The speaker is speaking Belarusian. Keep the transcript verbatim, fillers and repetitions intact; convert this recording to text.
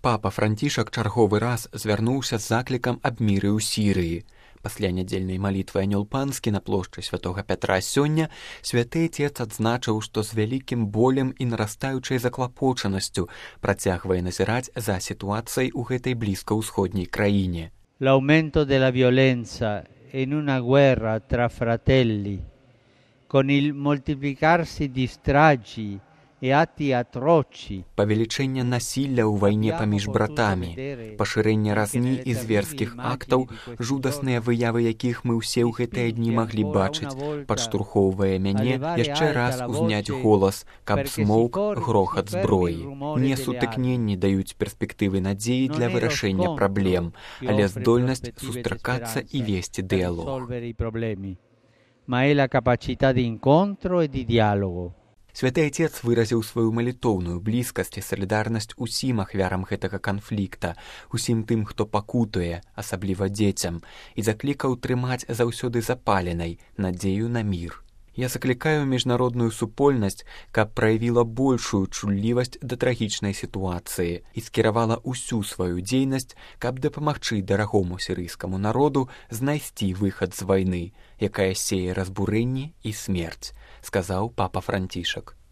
Папа Францішак чарговы раз звярнуўся з заклікам аб міры ў Сірыі. Пасля нядзельнай малітвы Анёл Панскі на плошчы святога Пятра сёння святы Отец адзначыў, што з вялікім болем і нарастаючай заклапочанасцю працягвае назіраць за сітуацыяй у гэтай блізкаўсходняй краіне. L'aumento della violenza in una guerra tra fratelli, con il moltiplicarsi di stragi e atti atroci. Павелічэнне насілля ў вайне паміж братамі, пашырэнне разні і зверскіх актаў, жудасныя выявы якіх мы ўсе ў гэтыя дні маглі бачыць, падштурхоўвае мяне яшчэ раз узняць голас, каб змоўк грохат зброі. Не сутыкненні даюць перспектывы надзеі для вырашэння праблем, але здольнасць сустракацца і весці дыялог. Ma è la capacità di incontro e di dialogo. Святы Отец выразіў сваю малітоўную блізкасць і салідарнасць усім ахвярам гэтага канфлікта, усім тым, хто пакутуе, асабліва дзецям, і заклікаў трымаць заўсёды запаленай надзею на мір. Я заклікаю міжнародную супольнасць, каб праявіла большую чуллівасць да трагічнай сітуацыі і скіравала ўсю сваю дзейнасць, каб дапамагчы дарагому сірыйскаму народу знайсці выхад з вайны, якая сее разбурэнне і смерць, сказаў папа Францішак.